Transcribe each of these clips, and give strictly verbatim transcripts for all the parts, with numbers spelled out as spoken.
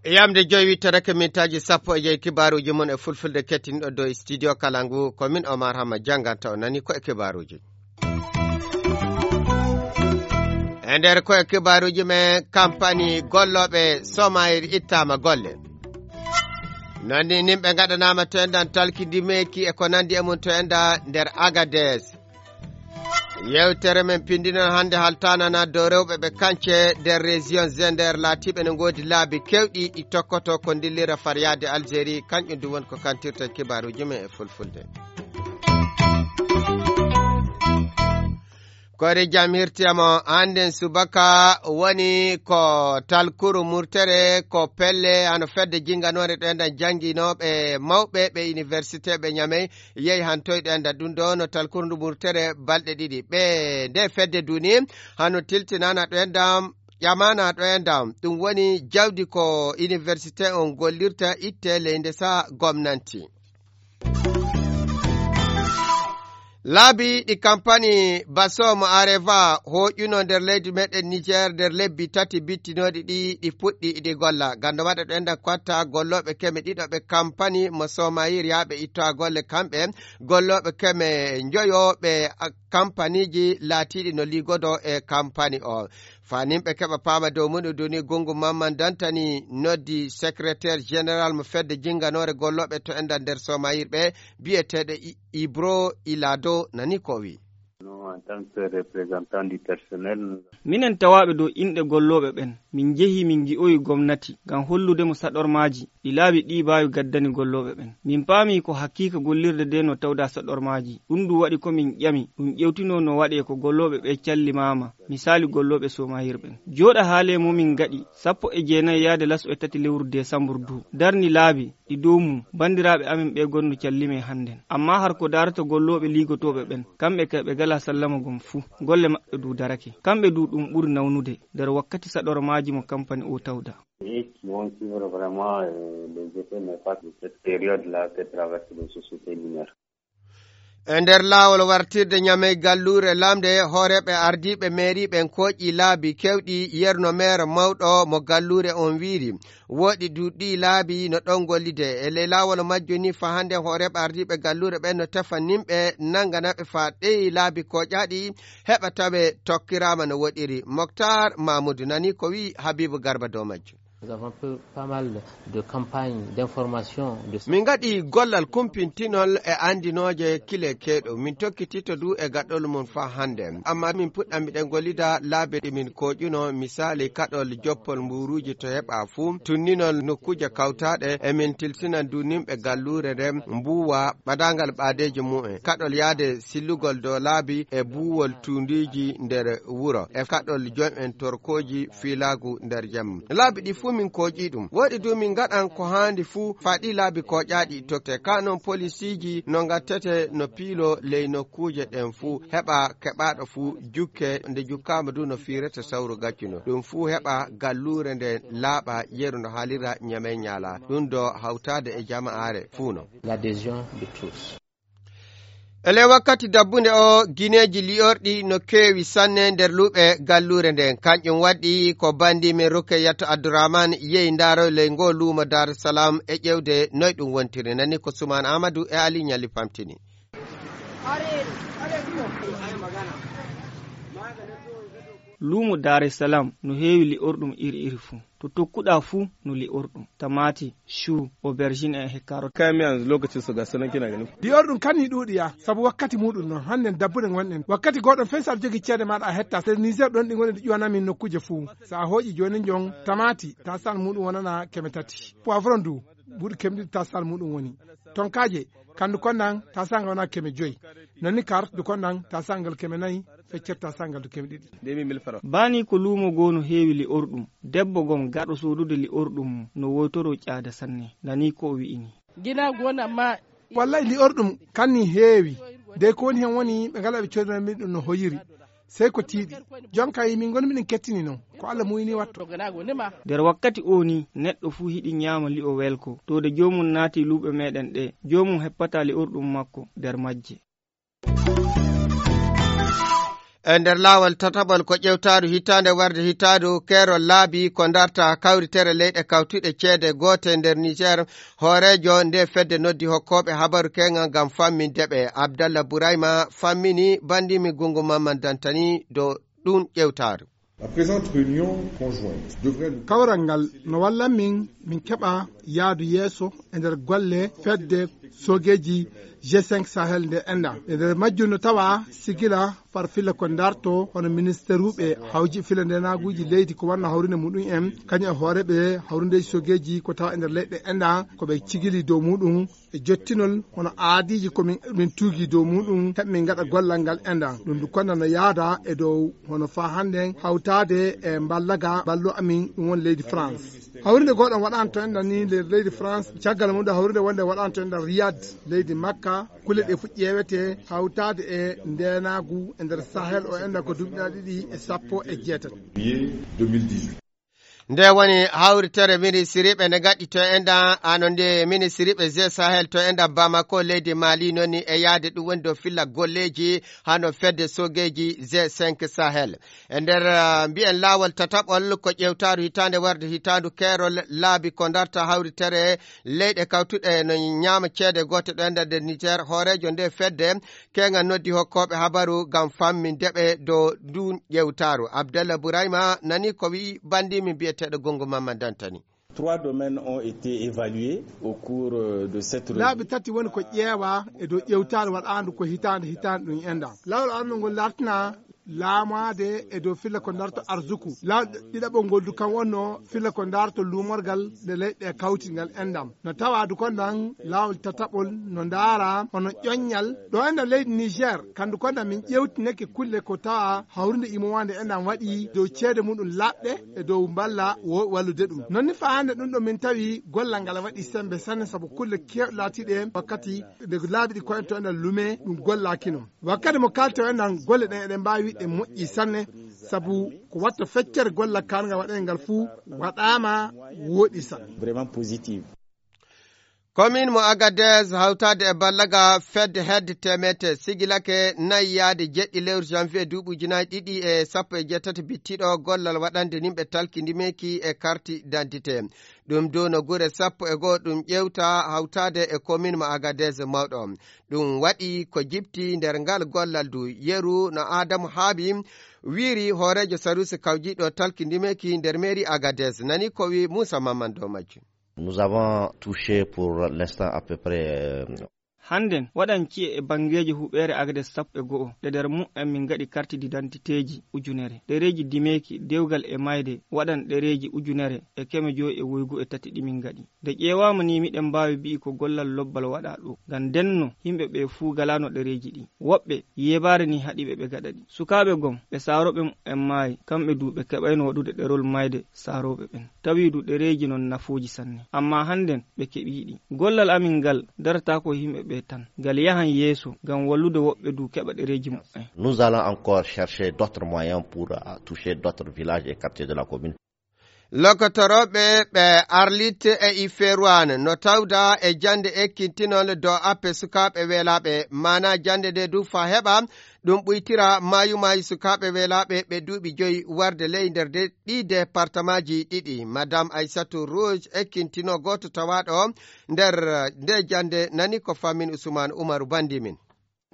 Yamde joyi wittorake mintaaji sappo e joyi kibaaruuji mon e fulfulde kettinɗo dow studio kala ngu ko min Omar Hamma jannganta o nani ko e kibaaruuji. E nder ko e kibaaruuji men kampani gollooɓe somayir ittaama golle. Noon ni nimɓe ngaɗanaama to enɗan talkindi meeki e ko nanndi e mum to enɗa nder Agades. Yewtere men pindi noon hannde haltanana dow rewɓe ɓe kance nder région Zender laatiiɓe ne ngoodi laabi kewɗi ɗi tokkoto ko ndillira fariyaade Algérie, kanƴum du woni ko kantirta kibaaruuji men e fulfulde. Koyre jam hirtiyamo hannden subaka woni ko talkuru murtere ko pelle hano fedde jinnganoore ɗo enɗan jannginooɓe mawɓe ɓe université ɓe Ñamey yehi han toyɗo enɗan ɗum ɗo no talkuru ndu murtere balɗe ɗiɗi. Ɓe nde fedde duni hano tiltinana ɗo enɗan ƴamana ɗo enɗan ɗum woni jawdi ko université on gollirta itte ley nde sa gomnanti. Laabi ɗi kampani Baso mo Areva hooƴuno nder leydi meɗen Niger nder lebbi tati bittinooɗi ɗi ɗi puɗɗi ɗi golla. Gando maɗa ɗo enɗan kotta gollooɓe keme ɗiɗo ɓe kampani mo Somayir yaaɓe ittoa golle kamɓe gollooɓe keme njoyo ɓe kampaniji laatiiɗi no liigodo e kampani o. Fanimɓe keɓa paama dow muɗum duni gungu mamman dantani noddi secrétaire général mo fedde jinnganoore gollooɓe to enɗan nder Somayir ɓe biyeteeɗo Ibro Ilado nani ko o wi. Minen tawaaɓe dow inɗe gollooɓe ɓen, min njehii min ngi'oyi gomnati ngam hollude mo saɗormaaji ɗi laabi ɗii baawi gaddani gollooɓe ɓen. Min paamii ko hakiika gollirde ndee no tawdaa saɗormaaji. Ɗum du waɗi ko min ƴami, ɗum ƴewtinoo no waɗee ko gollooɓe ɓee callimaama, misaali gollooɓe soomahir ɓen. Jooɗa haalee mo min ngaɗi sappo e jeenayi yaade laso e tati lewru deesambur du, darni laabi, ɗi dow mum banndiraaɓe amen ɓee gonno callimee hannden. Ammaa har ko daarata gollooɓe liigotooɓe ɓen, kamɓe kay ɓe galaa sallama gom fuu, golle maɓɓe du darake. Kamɓe du ɗum ɓuri nawnude nder wakkati saɗormaaji mo kampani oo tawdaa. E nder laawol wartirde Ñamey galluure lamnde, hooreeɓe ardiiɓe meeri ɓen kooƴii laabi keewɗi. Yerno meer mawɗo mo galluure on wiiri, wooɗi duuɗi laabi no ɗon gollide. E ley laawol majjo ni faa hannde hooreeɓe ardiiɓe galluure ɓen no tefa nimɓe nannganaaɓe faa ɗeyi laabi kooƴaaɗi heɓa tawe tokkiraama no woɗiri. Moktar Mamudu nani ko wi'i Habiibu Garba dow majjum. Nous avons fait pas mal de campagnes d'information. Min ngaɗi gollal kumpintinol e anndinooje kile keeɗo. Min tokkitito du e gaɗol mum faa hannde. Amma min puɗɗa miɗen gollida laabi ɗi min kooƴuno, misaali kaɗol joppol mbuuruuji to heɓa fuu, tunninol nokkuuje kawtaaɗe, e min tilsinan du nimɓe galluure nden mbuuwa ɓadaangal ɓaadeeji mumen. Kaɗol yaade sillugol dow laabi e buuwol tuundiiji nder wuro. E kaɗol jom'en torkooji fiilaagu nder jemma. Laabi ɗi fuu min kooƴii ɗum. Wooɗi du min ngaɗan ko haandi fuu faa ɗii laabi kooƴaaɗi tokke. Kaa non polisiiji no ngattete no piiloo ley nokkuuje ɗen fuu. Heɓa keɓaaɗo fuu jukke, nde jukkaama du no fiirete sawru gaccuno. Ɗum fuu heɓa galluure nden laaɓa yeru no haalira Ñamey Ñaala. Ɗum ɗo hawtaade e jama'aare fuu non. L'adhésion de tous. E ley wakkati dabbunde o, gineeji li'orɗi no keewi sanne nder luuɓe galluure nden. Kanƴum waɗi ko banndi men Rukeyatu Abdurahman yehi ndaaroy ley ngoo luumo Daaru Salaam e ƴeewde noy ɗum wontiri. Nani ko Sumaan Aamadu e Ali Ñalli pamtini. Luumo Daaru Salaam no heewi li'orɗum iri iri fuu. To tokkuɗaa fuu no li'orɗum, tamaati, chou, aubergine e carotte. Kayan miya yanzu lokacin su ga sunan kina gani. Li'orɗum kan ni ɗuuɗi ya, sabu wakkati muuɗum non, hannden dabbude ngonɗen. Wakkati gooɗon fey so aɗa jogii ceede maaɗa a hetta. Nder Niger ɗon ɗi ngoni ɗi ƴuwana min nokkuuje fuu. So a hooƴi jooni njon tamaati, taasal muuɗum wonana keme tati. Poivron du, buuɗi keme ɗiɗi taasal muuɗum woni. Tonkaaje, kandu konnan, taasal ngal wona keme joyi. Non ni carotte du konnan, taasal ngal keme nayi, feccere taasal ngal du keme ɗiɗi. Baani ko luumo goo no heewi li'orɗum. Debbo gom gaɗo soodude li'orɗum no woytoroo ƴaada sanne. Nanii ko o wi'i nii. Wallay li'orɗum kan nii heewi. Dey ko woni hen woni ɓe ngalaa ɓe coodanoo min ɗum no hoyiri. Sey ko tiiɗi. Jonka yi min ngoni miɗen kettini non. Ko Allah muuyni watto. Nder wakkati oo nii, neɗɗo fuu hiɗi nyaama li'o welko. To de joomum naati luuɓe meeɗen ɗee, joomum heppataa li'orɗum makko nder majje. E nder laawol tataɓol ko ƴewtaaru hitaande warde hitaandu keerol laabi ko darta kawritere leyɗe kawtuɗe ceede goote nder Niger. Hooreejo nde fedde noddi hokkooɓe habaru keŋal ngam famminde ɓe. Abdallah Burayma fammini bandimi Gungu Mamman Dantani dow ɗum ƴewtaaru. La présente réunion conjointe devrait nous Kawral ngal no wallan min, min keɓa yaadu yeeso e nder golle fedde soogeeji G cinq Sahel nde enda. E nder majjum no tawa sigila far filla ko darto hono ministeruɓe hawji filla ndenaaguuji leydi ko wanno hawrinde muɗum en, kañum e hooreeɓe hawrindeeji soogeeji ko tawa e nder leyɗe enda ko ɓe cigili dow muɗum e jottinol hono aadiiji ko min, min tuugi dow muɗum, heɓe min ngaɗa gollal ngal enɗan. Ɗum ndu konna no yaada e dow hono faa hannden hawtaade e mballaga ballo amin ɗum woni leydi France. Hawrinde gooɗan waɗaano to enɗan ni nder leydi France, caggal mum ɗo hawrinde wonde waɗaano to enɗan Riyad, leydi Makka, kulle ɗe fuɗ ƴeewete hawtaade e ndeenaagu e nder Sahel o enɗan ko duuɓi ɗiɗi e sappo e jeetati. Juillet deux mille dix-huit. Nde woni hawritere ministiriiɓe nde ngaɗi to enɗan, ano nde ministiriiɓe G Sahel to enɗan Bamako, leydi Mali, noon ni e yaade ɗum woni dow filla golleeji hano fedde soogeeji G cinq Sahel. E nder, ah, mbiyen laawol tataɓol ko ƴewtaaru hitaande warde hitaandu keerol laabi ko darta hawritere leyɗe kawtuɗe no ñaama ceede goote ɗo enɗan nder Niger, hooreejo nde fedde Keŋal noddi hokkooɓe habaru ngam famminde ɓe dow ndun ƴewtaaru. Abdallah Burayma nani ko wi'i bandiimi bi'eteeɗo Gongo Mamman Dantani. Trois domaines ont été évalués au cours, euh, de cette revue. Laabi tati woni ko ƴeewa e dow ƴewtaare waɗaandu ko hitaande hitaande ɗum enɗan. Laawol arnol ngol lartina laamaade e dow filla ko darto arzuku. Laawol ɗiɗaɓol ngol du kan wonno filla ko darto luumorgal nde leyɗe kawtingal enɗan. No tawa du kon ɗan laawol tataɓol no ndaara hono ƴoññal. Ɗo enɗan leydi Niger, kandu kon ɗan min ƴewtineke kulle ko tawa hawrinde imowaande enɗan waɗi dow ceede muɗum laɓɗe e dow mballa wo-, wallude ɗum. Non ni faa hannde ɗum ɗo min tawi gollal ngal waɗi sembe sanne sabu kulle keewɗe laatiiɗe wakkati nde laabi ɗi ko en to enɗan lume ɗum gollaaki non. Wakkati mo kalten enɗan golle ɗen eɗen mbaawi wi'de moƴƴi sanne sabu ko watta feccere gollal kaangal waɗen ngal fuu waɗaama wooɗi sanne. Vraiment positive. Commune mo Agadez hawtaade e ballaga fedde hedde teemete sigilake nayi yaade jeɗɗi lewru janvier duuɓi ujunaaji ɗiɗi e sappo e jeetati bittiɗo gollal waɗande nimɓe talkindimeeki e karti d'identité. Ɗum du no gure sappo e goo ɗum ƴewta hawtaade e commune mo Agadez mawɗo. Ɗum waɗi ko jipti nder ngal gollal du. Yeru no Adamu Haabi wiiri hooreejo sarusi kawjiiɗo talkindimeeki nder mairie Agadez. Nani ko wi Moussa Mamman dow majjum. Nous avons touché pour l'instant à peu près, euh, Hannden, waɗan ci'e e banngeeji huɓeere Agadez sappo e go'o, ɗe nder mu'en min ngaɗi karti didantiteeji ujunere, ɗereeji dimeeki, dewgal e mayde, waɗan ɗereeji ujunere e keme jowi e woygu e tati ɗi min ngaɗi. Nde ƴeewaama ni, miɗen mbaawi bi'i ko gollal lobbal waɗaa ɗo, ngam ndenno yimɓe ɓe fuu ngalaano ɗereeji ɗi. Woɓɓe, yeebaare ni haɗi ɓe ɓe gaɗa ɗi. Sukaaɓe gom, ɓe saarooɓe mu'en maayi, kamɓe du ɓe keɓayno waɗude ɗerol mayde saarooɓe ɓen. Tawi du ɗereeji non nafooji sanne. Ammaa hannden ɓe keɓii ɗi. Gollal amin ngal darataako e yimɓe ɓe tan. Ngal yahan yeeso ngam wallude woɓɓe du keɓa ɗereeji mu'en. Nous allons encore chercher d'autres moyens pour, euh, toucher d'autres villages et quartiers de la commune. Lokotorooɓe ɓe Arlit e Iferuan no tawda e jannde ekkintinol dow appe sukaaɓe weelaaɓe. Maanaa jannde nde du faa heɓa ɗum ɓuytira maayu maayu sukaaɓe weelaaɓe ɓe duuɓi joyi warde ley nder de-, ɗii departamaaji ɗiɗi. Madame Aissatou Rouge ekkintinoo gooto tawaaɗo nder nde jannde nani ko fammin Usman Umaru Bandimin.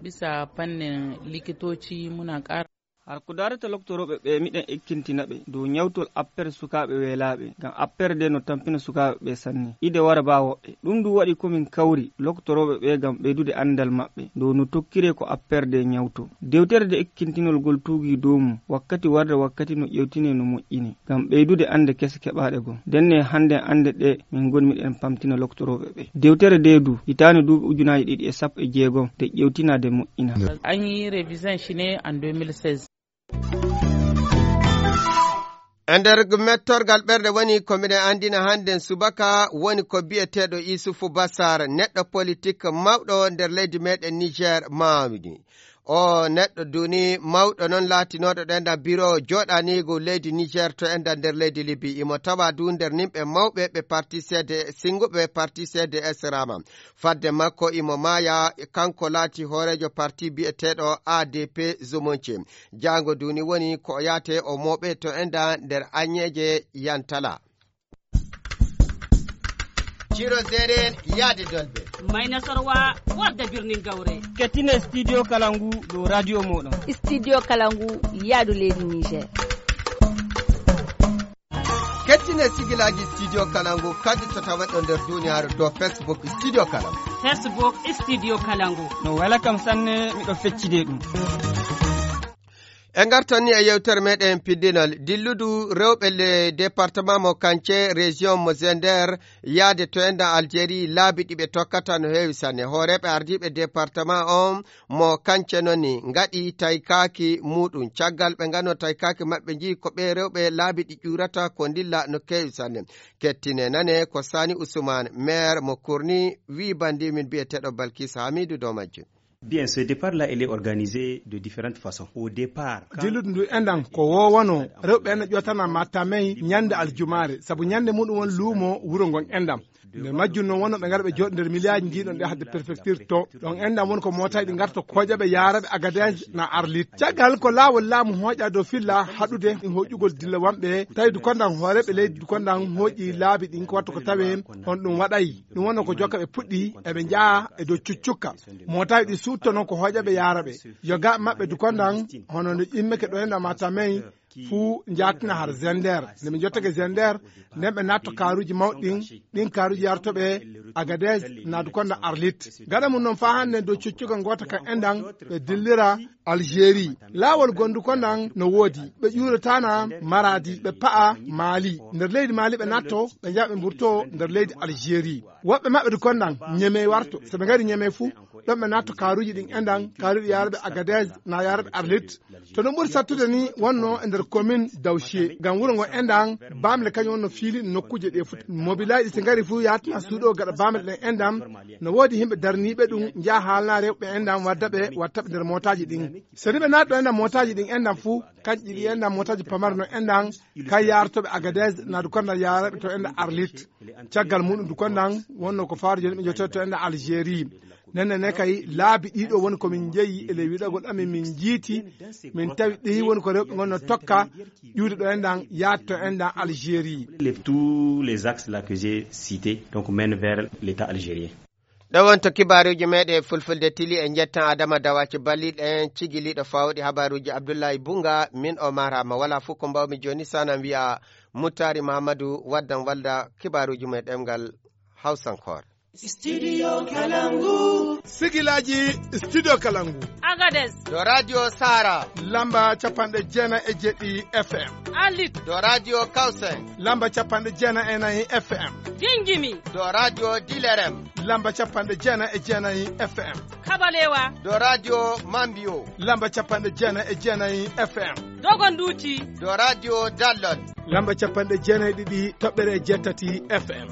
Bisa fannin likitoci muna ƙara Har ko daarata loktorooɓe ɓe, miɗen ekkintina ɓe dow ñawtol appere sukaaɓe weelaaɓe, ngam appere nde no tampina sukaaɓe ɓe sanne. Ide wara baa woɓɓe. Ɗum du waɗi ko min kawri loktorooɓe ɓe ngam ɓeydude anndal maɓɓe dow no tokkiree ko appere nde ñawtoo. Dewtere nde ekkintinol ngol tuugii dow mum, wakkati warde wakkati no ƴeewtinee no moƴƴinee, ngam ɓeydude annde kese keɓaaɗe gom. Ndenne hannden annde ɗe min ngoni miɗen pamtina loktorooɓe ɓe. Dewtere nde du, hitaande duuɓi ujunaaji ɗiɗi e sappo e jeegom nde ƴeewtinaa nde moƴƴinaa. An yi revision shi ne en deux mille seize. E nder mettorgal ɓerɗe woni ko miɗen anndina hannden subaka woni ko biyeteeɗo Isufu Basar, neɗɗo politik mawɗo nder leydi meɗen Niger maawni. O neɗɗo duni mawɗo noon laatinooɗo ɗo enɗan biro jooɗaniigu leydi Niger to enɗan nder leydi Libi. Imo tawa du nder nimɓe mawɓe ɓe parti C D, sinnguɓe parti C D S Rama. Fadde makko imo maaya, kanko laati hooreejo parti biyeteeɗo A D P Zumunci. Jaango duni woni ko o yaate o mooɓe to enɗan nder aññeeje Yantala. Ciro Zeren yaade Dolbe. Mayna Sorwa wadda birnin Gawre. Kettine Studio Kalangu ɗo radio moɗon. Studio Kalangu yaadu leydi Niger. Kettine sigilaaji Studio Kalangu kadi to tawa ɗo nder duniyaaru dow Facebook Studio Kalangu. Facebook Studio Kalangu. No wela kam sanne, miɗo feccide ɗum. En ngartan ni e yewtere meɗen piddinal. Dilludu rewɓe le département mo Kance, région mo Zender, yaade to enɗan Algérie, laabi ɗi ɓe tokkata no heewi sanne. Hooreeɓe ardiiɓe département on mo Kance noon ni ngaɗi taykaaki muɗum. Caggal ɓe ngano taykaaki maɓɓe nji ko ɓe rewɓe laabi ɗi ƴuurata ko ndilla no keewi sanne. Kettine nane ko Sani Ousmane, maire mo Kurni, wi bandi min biyeteeɗo Balkis Hamidou dow majjum. Bien, ce départ-là, il est organisé de différentes façons. Au départ, quand Dilludu ndu enɗan ko wowano rewɓe enɗan ƴootana Matamey ñande aljumaare, sabu ñande muɗum won luumo wuro ngon enɗan. Nder majjum noon wonno ɓe ngara ɓe jooɗo nder miliyaaji njiiɗon ɗe hadde préfecture to. Ɗon enɗan woni ko mootaaji ɗi ngarta kooƴaɓe yaaraɓe Agadez na Arlit. Caggal ko laawol laamu hooƴa dow filla haɗude ɗin hoƴugol dilla wamɓe, tawi Dukondan hooreeɓe leydi Dukondan hooƴi laabi ɗin ko watta ko tawe on ɗum waɗay. Ɗum wonno ko jokka ɓe puɗɗi eɓe njaha e dow cuccukka. Mootaaji ɗi suutto noon ko hooƴaɓe yaaraɓe. Yo ga maɓɓe Dukondan hono no immeke ɗo enɗan Matamey fuu njaatina har Zender. Nde ɓe njottake Zender, nden ɓe naatto kaaruuji mawɗi ɗin, ɗin kaaruuji yartoɓe Agadez, naadu konda Arlit. Gaɗa mum noon faa hannde dow cuccuga ngoota kan enɗan, ɓe dillira Algérie. Laawol gondu kondan no woodi, ɓe ƴuurataana Maradi, ɓe pa'a Mali. Nder leydi Mali ɓe naatto, ɓe njaha ɓe mburto nder leydi Algérie. Woɓɓe maɓɓe du kondan Ñemey warto. So ɓe ngari Ñemey fuu, ɗon ɓe naatto kaaruuji ɗin enɗan, kaaruuji yaaraɓe Agadez, na yaaraɓe Arlit. To ɗum ɓuri sattude ni wonno e nder commune Dawchie. Ngam wuro ngo enɗan, baamle kañum wonno fiili nokkuuje ɗe fuu. Mobilaaji si ngari fuu yaatina suuɗo gaɗa baamle ɗen enɗan. No woodi yimɓe darniiɓe ɗum, njaha haalna rewɓe enɗan, wadda ɓe, watta ɓe nder mootaaji ɗin. So ni ɓe naatto enɗan mootaaji ɗin enɗan fuu, kanƴi ɗi enɗan mootaaji pamare no enɗan, kay yaartoɓe Agadez, na du kondan yaaraɓe to enɗan Arlit. Caggal muɗum du kondan wonno ko faaro jooni ɓe jottoto enɗan Algérie. Nenne ne kay laabi ɗiɗo woni ko min njeyi e ley wiɗagol amin min njiiti, min tawi ɗi woni ko rewɓe ngon no tokka ƴuude ɗo enɗan yaade to enɗan Algérie. Les, tous les axes là que j'ai cités, donc, mènent vers l'État algérien. Ɗo wonto kibaaruuji meɗen fulfulde tili e njettan Adama Dawaci balliɗen cigiliɗo fawɗi habaaruuji Abdullahi Bunga, min o marama wala fof ko mbawmi jooni sanan wiya Muttari Mahamadou waddan walda kibaaruuji mum e ɗemngal Hawsankore. Studio Kalangu. Sigilaaji Studio Kalangu. Agadez. Ɗo Radio Sara. Lamba capanɗe jeenayi e jeɗɗi F M. Arlit. Ɗo Radio Kawsay. Lamba capanɗe jeenayi e nayi F M. Jinjimi. Ɗo Radio Dilerem. Lamba capanɗe jeenayi e jeenayi F M. Kabalewa. Ɗo Radio Mambio. Lamba capanɗe jeenayi e jeenayi F M. Dogonduuti. Ɗo Radio Dallol. Lamba capanɗe jeenayi e ɗiɗi toɓɓere jeetati F M.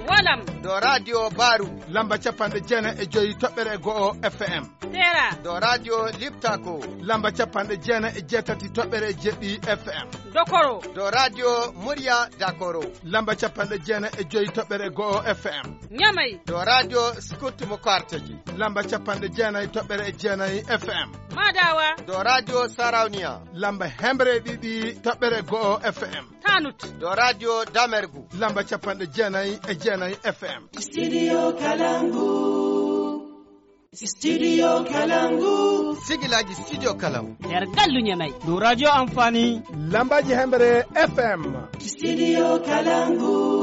Walam. Ɗo Radio Baru. Lamba capanɗe jeenayi e joyi toɓɓere go'o F M. Tera. Ɗo Radio Liptako. Lamba capanɗe jeenayi e jeetati toɓɓere jeɗɗi F M. Dokoro. Ɗo Radio Murya Dakoro. Lamba capanɗe jeenayi e joyi toɓɓere go'o F M. Ñamay. Ɗo Radio Scout mo Karteji. Lamba capanɗe jeenayi toɓɓere jeenayi F M. Madawa. Ɗo Radio Sarauniya. Lamba hemre ɗiɗi toɓɓere go'o F M. Tanut. Ɗo Radio Damergu. Lamba capanɗe jeenayi e jeenayi F M. Studio Kalangu. Studio Kalangu. Sigilaji Studio Kalangu. Nder gallu Ñamay. Ɗo Radio Amfani. Lambaji hemre F M. Studio Kalangu.